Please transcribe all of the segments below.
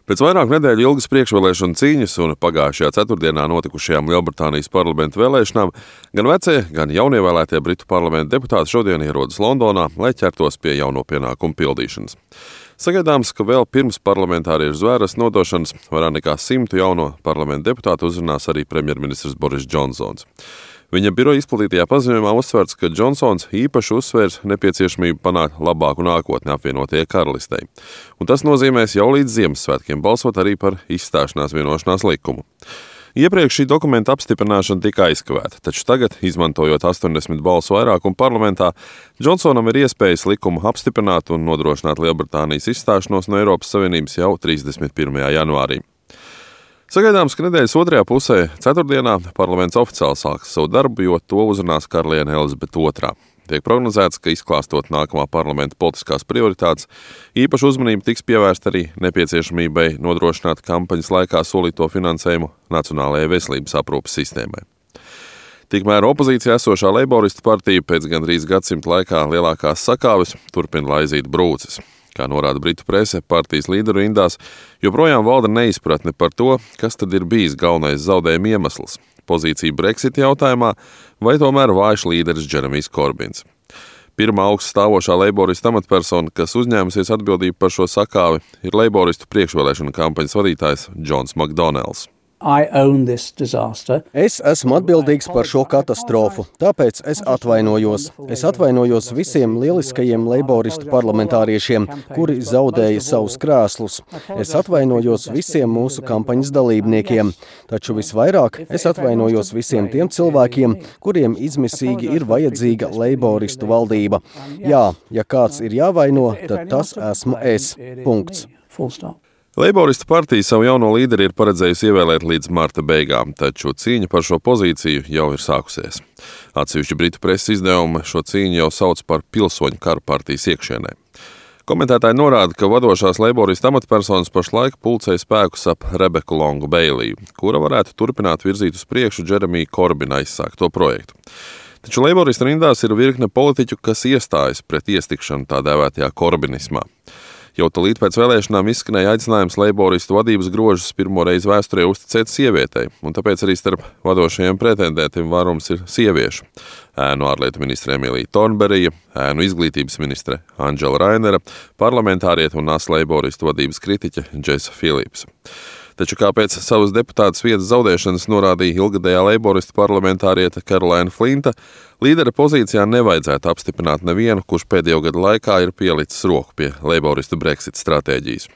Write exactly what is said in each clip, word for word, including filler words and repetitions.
Pēc vairāku nedēļu ilgas priekšvēlēšanu cīņas un pagājušajā ceturtdienā notikušajām Lielbritānijas parlamenta vēlēšanām gan vecie, gan jaunievēlētie Britu parlamenta deputāti šodien ierodas Londonā, lai ķertos pie jauno pienākumu pildīšanas. Sagaidāms, ka vēl pirms parlamentāriešu zvēras nodošanas vairāk nekā simtu jauno parlamenta deputātu uzrunās arī premjerministrs Boris Džonsons. Viņa biroja izplatītajā paziņojumā uzsverts, ka Džonsons īpaši uzsvērs nepieciešamību panākt labāku nākotni apvienotajai karalistei. Un tas nozīmēs jau līdz Ziemassvētkiem balsot arī par izstāšanās vienošanās likumu. Iepriekš šī dokumenta apstiprināšana tika aizkavēta, taču tagad, izmantojot astoņdesmit balsu vairākumu parlamentā, Džonsonam ir iespējas likumu apstiprināt un nodrošināt Lielbritānijas izstāšanos no Eiropas Savienības jau trīsdesmit pirmajā janvārī. Sagaidāms, ka nedēļas otrajā pusē, ceturtdienā, parlaments oficiāli sāks savu darbu, jo to uzrunās karaliene Elizabete otrā. Tiek prognozēts, ka izklāstot nākamā parlamenta politiskās prioritātes, īpaša uzmanība tiks pievērsta arī nepieciešamībai nodrošināt kampaņas laikā solīto finansējumu Nacionālajai veselības aprūpes sistēmai. Tikmēr opozīcijā esošā Leiboristu partija pēc gandrīz gadsimta laikā lielākās sakāves turpina laizīt brūces. Kā norāda Britu prese, partijas līderu rindās joprojām valda neizpratne par to, kas tad ir bijis galvenais zaudējuma iemesls – pozīcija Brexit jautājumā vai tomēr vājš līderis Džeremijs Korbins. Pirmā augsts stāvošā leiboristu amatpersona, kas uzņēmusies atbildību par šo sakāvi, ir leiboristu priekšvēlēšanu kampaņas vadītājs Džons Makdonelds. Es esmu atbildīgs par šo katastrofu, tāpēc es atvainojos. Es atvainojos visiem lieliskajiem leiboristu parlamentāriešiem, kuri zaudēja savus krēslus. Es atvainojos visiem mūsu kampaņas dalībniekiem, taču visvairāk es atvainojos visiem tiem cilvēkiem, kuriem izmisīgi ir vajadzīga leiboristu valdība. Jā, ja kāds ir jāvaino, tad tas esmu es. Punkts. Leiboristu partija savu jauno līderi ir paredzējusi ievēlēt līdz marta beigām, taču cīņa par šo pozīciju jau ir sākusies. Atsevišķi Britu preses izdevumi šo cīņu jau sauc par pilsoņu karu partijas iekšienē. Komentētāji norāda, ka vadošās leiboristu amatpersonas pašlaik pulcē spēkus ap Rebeku Longu Beiliju, kura varētu turpināt virzīt uz priekšu Džeremija Korbina aizsākto projektu. Taču leiboristu rindās ir virkne politiķu, kas iestājas pret iestikšanu tā dēvētajā korbinismā. Jau tūlīt pēc vēlēšanām izskanēja aicinājums leiboristu vadības grožus pirmo reizi vēsturē uzticēt sievietei, un tāpēc arī starp vadošajiem pretendentiem vairums ir sieviešu. Ēnu ārlietu ministre Emīlija Tornberija, ēnu izglītības ministre Andžela Rainera, parlamentāriete un nasa leiboristu vadības kritiķe Džesa Philips. Taču kā pēc savas deputātas vietas zaudēšanas norādīja ilgadējā leiboristu parlamentāriete Caroline Flinta, līdera pozīcijā nevajadzētu apstiprināt nevienu, kurš pēdējo gadu laikā ir pielicis roku pie leiboristu Brexit stratēģijas.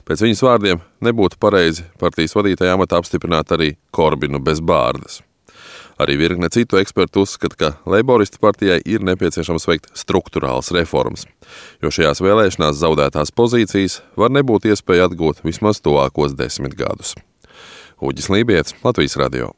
Pēc viņas vārdiem nebūtu pareizi partijas vadītāja amatā apstiprināt arī Korbinu bez bārdas. Arī virkne citu ekspertu uzskata, ka leiboristu partijai ir nepieciešams veikt struktūrālas reformas, jo šajās vēlēšanās zaudētās pozīcijas var nebūt iespēja atgūt vismaz tuvākos desmit gadus. Uģis Lībijets, Latvijas radio.